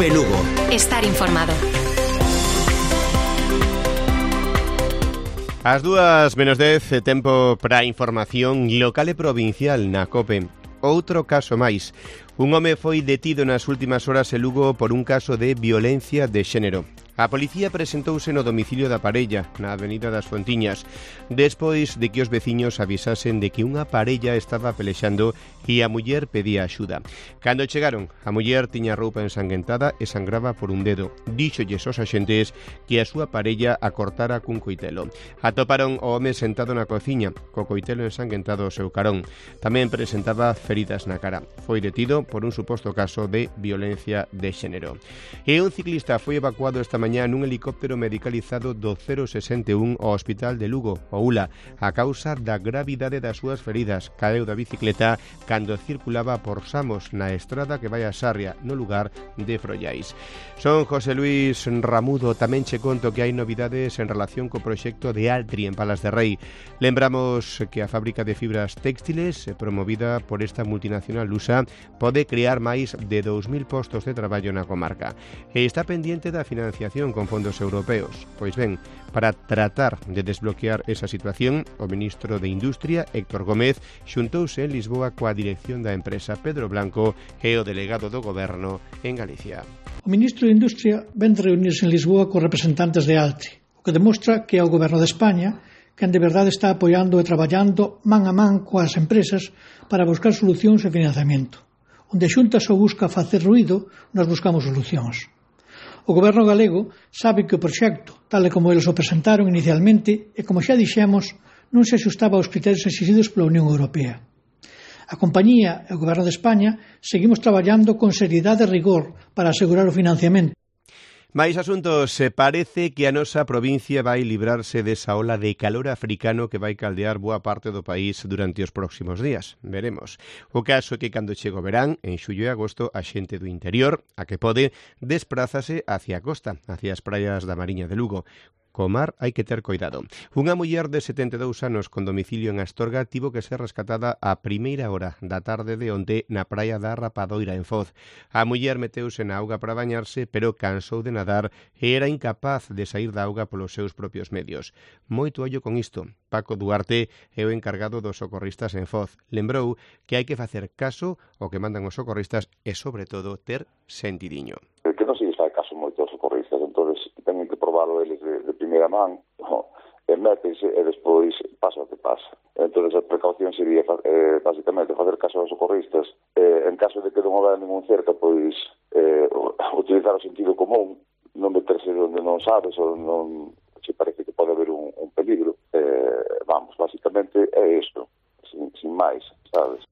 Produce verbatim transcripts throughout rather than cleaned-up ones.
Cope Lugo. Estar informado. As dúas menos dez, tempo para información local e provincial na Cope. Outro caso máis. Un home foi detido nas últimas horas en Lugo por un caso de violencia de xénero. A policía presentouse no domicilio da parella, na avenida das Fontiñas, despois de que os veciños avisasen de que unha parella estaba pelexando e a muller pedía axuda. Cando chegaron, a muller tiña roupa ensanguentada e sangraba por un dedo. Díxolles aos axentes que a súa parella a cortara cun coitelo. Atoparon o home sentado na cociña, co coitelo ensanguentado ao seu carón. Tamén presentaba feridas na cara. Foi detido por un suposto caso de violencia de xénero. E un ciclista foi evacuado esta mañá nun helicóptero medicalizado do cero sesenta e un ao Hospital de Lugo, o U L A, a causa da gravidade das súas feridas. Caeu da bicicleta cando circulaba por Samos, na estrada que vai a Sarria, no lugar de Frollais. Son José Luis Ramudo. Tamén che conto que hai novidades en relación co proxecto de Altri en Palas de Rei. Lembramos que a fábrica de fibras textiles, promovida por esta multinacional lusa, pode crear máis de dous mil postos de traballo na comarca. E está pendiente da financiación con fondos europeos. Pois ben, para tratar de desbloquear esa situación, o ministro de Industria, Héctor Gómez, xuntouse en Lisboa coa dirección da empresa Pedro Blanco e o delegado do Goberno en Galicia. O ministro de Industria ven de reunirse en Lisboa cos representantes de Altri, o que demostra que é o Goberno de España quen de verdade está apoiando e traballando man a man coas empresas para buscar solucións e financiamento. Onde a Xunta só busca facer ruído, nós buscamos solucións. O Goberno galego sabe que o proxecto, tal e como eles o presentaron inicialmente, e como xa dixemos, non se axustaba aos criterios exigidos pola Unión Europea. A compañía e o Goberno de España seguimos traballando con seriedade e rigor para asegurar o financiamento. Mais asuntos, se parece que a nosa provincia vai librarse desa ola de calor africano que vai caldear boa parte do país durante os próximos días. Veremos. O caso é que cando chega o verán, en xullo e agosto, a xente do interior, a que pode, desprázase hacia a costa, hacia as praias da Mariña de Lugo. Co mar hai que ter coidado. Unha muller de setenta e dous anos con domicilio en Astorga tivo que ser rescatada a primeira hora da tarde de onte na praia da Rapadoira en Foz. A muller meteuse na auga para bañarse, pero cansou de nadar e era incapaz de sair da auga polos seus propios medios. Moito ollo con isto. Paco Duarte é o encargado dos socorristas en Foz. Lembrou que hai que facer caso ao que mandan os socorristas e, sobre todo, ter sentidiño. Que non se lles fai caso moito aos socorristas, entón teñen que probarlo eles de, de primeira man, no, e métense e despois pasa o que pasa. Entón a precaución sería eh, basicamente facer caso aos socorristas, eh, en caso de que non haber ningún cerca, pois eh, utilizar o sentido común, non meterse onde non sabes ou non se parece que pode haber un, un peligro. Eh, vamos, basicamente é isto, sin, sin máis, sabes?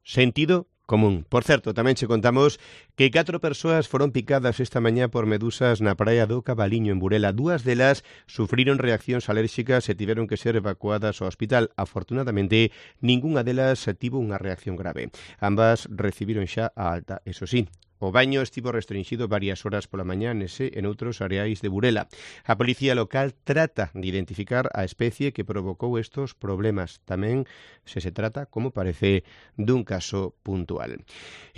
Sentido común. Por certo, tamén che contamos que catro persoas foron picadas esta mañá por medusas na praia do Cabaliño, en Burela. Dúas delas sufriron reaccións alérxicas e tiveron que ser evacuadas ao hospital. Afortunadamente, ningunha delas tivo unha reacción grave. Ambas recibiron xa a alta, eso sí. O baño estivo restringido varias horas pola mañá nese e noutros areais de Burela. A policía local trata de identificar a especie que provocou estos problemas. Tamén se se trata, como parece, dun caso puntual.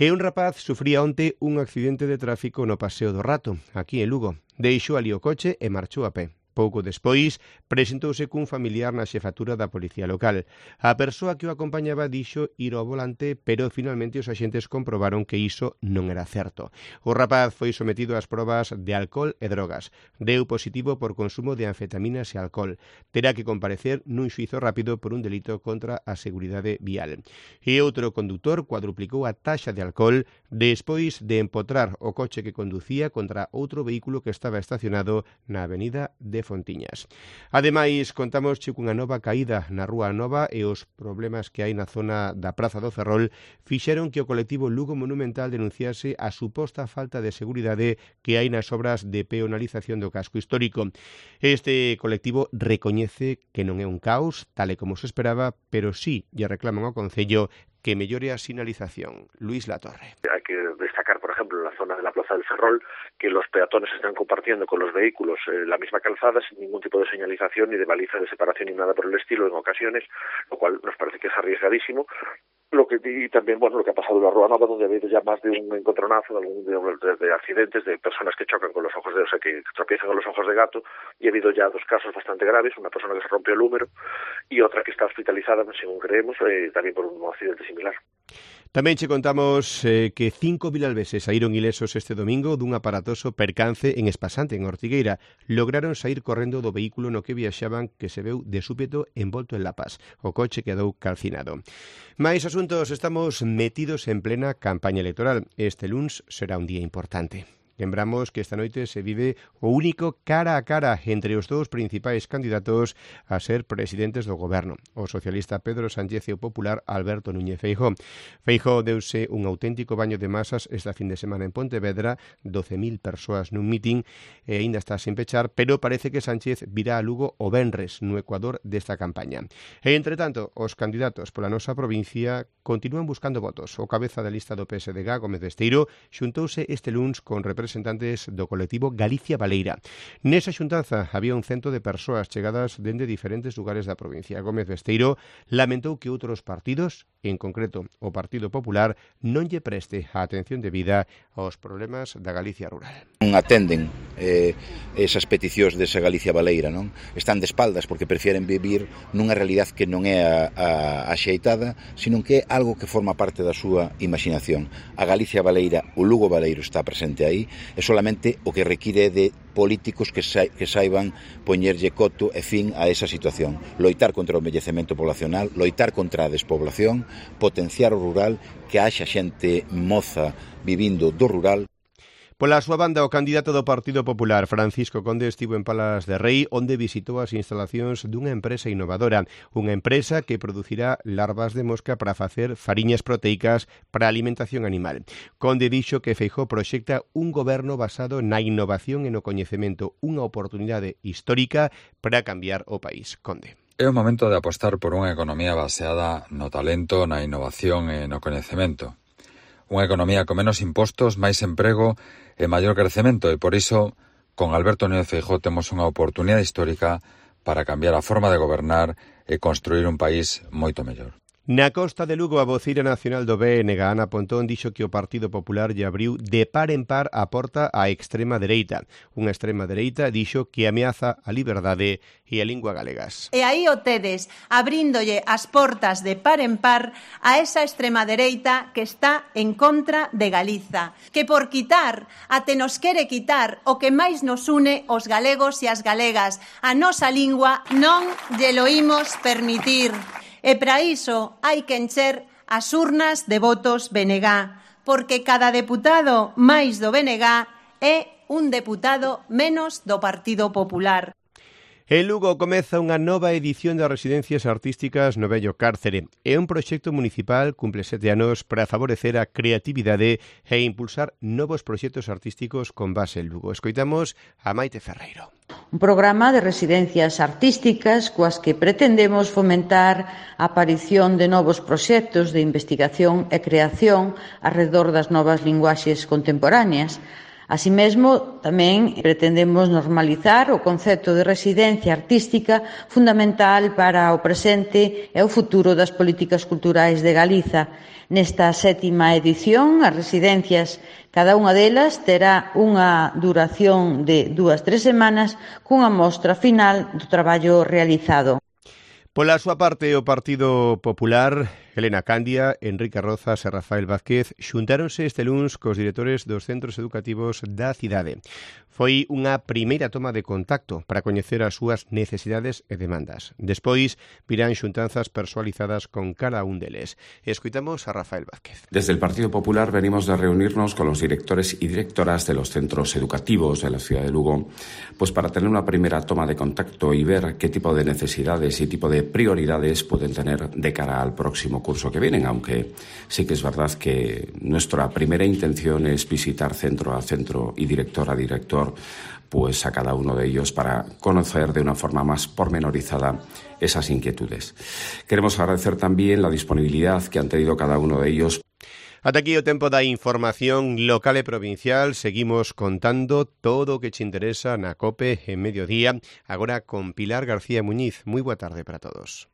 E un rapaz sufría onte un accidente de tráfico no Paseo do Rato, aquí en Lugo. Deixou ali o coche e marchou a pé. Pouco despois, presentouse cun familiar na xefatura da policía local. A persoa que o acompañaba dixo ir ao volante, pero finalmente os axentes comprobaron que iso non era certo. O rapaz foi sometido ás probas de alcohol e drogas. Deu positivo por consumo de anfetaminas e alcohol. Terá que comparecer nun xuízo rápido por un delito contra a seguridade vial. E outro condutor cuadruplicou a taxa de alcohol despois de empotrar o coche que conducía contra outro vehículo que estaba estacionado na avenida de Fontiñas. Ademais, contamos cunha nova caída na Rúa Nova e os problemas que hai na zona da Praza do Ferrol fixeron que o colectivo Lugo Monumental denunciase a suposta falta de seguridade que hai nas obras de peonalización do casco histórico. Este colectivo recoñece que non é un caos, tal e como se esperaba, pero sí lle reclaman ao Concello que mellore a sinalización. Luis Latorre. Hay que destacar, por ejemplo, en la zona de la Plaza del Ferrol, que los peatones están compartiendo con los vehículos eh, la misma calzada sin ningún tipo de señalización ni de baliza de separación ni nada por el estilo en ocasiones, lo cual nos parece que es arriesgadísimo. Lo que y también, bueno, lo que ha pasado en la Rúa Nova, donde ha habido ya más de un encontronazo de, algún, de, de, de accidentes de personas que chocan con los ojos de, o sea, que tropiezan con los ojos de gato, y ha habido ya dos casos bastante graves, una persona que se rompió el húmero y otra que está hospitalizada, según creemos, eh, también por un accidente similar. Tamén che contamos eh, que cinco vilalveses saíron ilesos este domingo dun aparatoso percance en Espasante, en Ortigueira. Lograron saír correndo do vehículo no que viaxaban, que se veu de súpeto envolto en lapas. O coche quedou calcinado. Mais asuntos, estamos metidos en plena campaña electoral. Este luns será un día importante. Lembramos que esta noite se vive o único cara a cara entre os dous principais candidatos a ser presidentes do goberno, o socialista Pedro Sánchez e o popular Alberto Núñez Feijóo. Feijóo deuse un auténtico baño de masas esta fin de semana en Pontevedra, doce mil persoas nun mitin e aínda está sin pechar, pero parece que Sánchez virá a Lugo o venres no Ecuador desta campaña. E, entre tanto, os candidatos pola nosa provincia continúan buscando votos. O cabeza da lista do P S D G, Gómez Besteiro, xuntouse este luns con representantes representantes do colectivo Galicia Baleira. Nesa xuntanza había un cento de persoas chegadas dende diferentes lugares da provincia. Gómez Besteiro lamentou que outros partidos, en concreto o Partido Popular, non lle preste a atención debida aos problemas da Galicia rural. Non atenden eh, esas peticións desa Galicia Baleira, non? Están de espaldas porque prefieren vivir nunha realidade que non é a, a, a xeitada, sino que é algo que forma parte da súa imaginación. A Galicia Baleira, o Lugo Baleiro está presente aí, é solamente o que require de políticos que, sa que saiban poñerlle coto e fin a esa situación. Loitar contra o envellecemento poblacional, loitar contra a despoblación, potenciar o rural, que haxa xente moza vivindo do rural. Pola súa banda, o candidato do Partido Popular, Francisco Conde, estivo en Palas de Rei, onde visitou as instalacións dunha empresa innovadora, unha empresa que producirá larvas de mosca para facer fariñas proteicas para a alimentación animal. Conde dixo que Feijóo proxecta un goberno basado na innovación e no coñecemento, unha oportunidade histórica para cambiar o país. Conde. É o momento de apostar por unha economía baseada no talento, na innovación e no coñecemento. Unha economía con menos impostos, máis emprego e maior crecemento, e por iso, con Alberto Núñez Feijóo temos unha oportunidade histórica para cambiar a forma de gobernar e construir un país moito mellor. Na costa de Lugo, a voceira nacional do B N G, Ana Pontón, dixo que o Partido Popular lle abriu de par en par a porta á extrema dereita. Unha extrema dereita, dixo, que ameaza a liberdade e a lingua galegas. E aí o tedes, abríndolle as portas de par en par a esa extrema dereita que está en contra de Galiza, que por quitar, até nos quere quitar o que máis nos une os galegos e as galegas, a nosa lingua, non lle lo imos permitir. E para iso hai que encher as urnas de votos B N G, porque cada deputado máis do B N G é un deputado menos do Partido Popular. En Lugo comeza unha nova edición das residencias artísticas no vello cárcere. É un proxecto municipal, cumple sete anos, para favorecer a creatividade e impulsar novos proxectos artísticos con base en Lugo. Escoitamos a Maite Ferreiro. Un programa de residencias artísticas coas que pretendemos fomentar a aparición de novos proxectos de investigación e creación arredor das novas linguaxes contemporáneas. Así mesmo, tamén pretendemos normalizar o concepto de residencia artística fundamental para o presente e o futuro das políticas culturais de Galiza. Nesta sétima edición, as residencias, cada unha delas terá unha duración de dúas, tres semanas cunha mostra final do traballo realizado. Pola súa parte, o Partido Popular, Helena Candia, Enrique Rozas e Rafael Vázquez xuntáronse este luns cos directores dos centros educativos da cidade. Foi unha primeira toma de contacto para coñecer as súas necesidades e demandas. Despois, virán xuntanzas persoalizadas con cada un deles. Escoitamos a Rafael Vázquez. Desde el Partido Popular venimos de reunirnos con los directores y directoras de los centros educativos de la ciudad de Lugo, pues para tener una primera toma de contacto y ver qué tipo de necesidades y tipo de prioridades pueden tener de cara al próximo curso que vienen, aunque sí que es verdad que nuestra primera intención es visitar centro a centro y director a director, pues a cada uno de ellos para conocer de una forma más pormenorizada esas inquietudes. Queremos agradecer también la disponibilidad que han tenido cada uno de ellos. Ata aquí o tempo da información local e provincial. Seguimos contando todo o que te interesa na COPE en mediodía, agora con Pilar García Muñiz. Moi boa tarde para todos.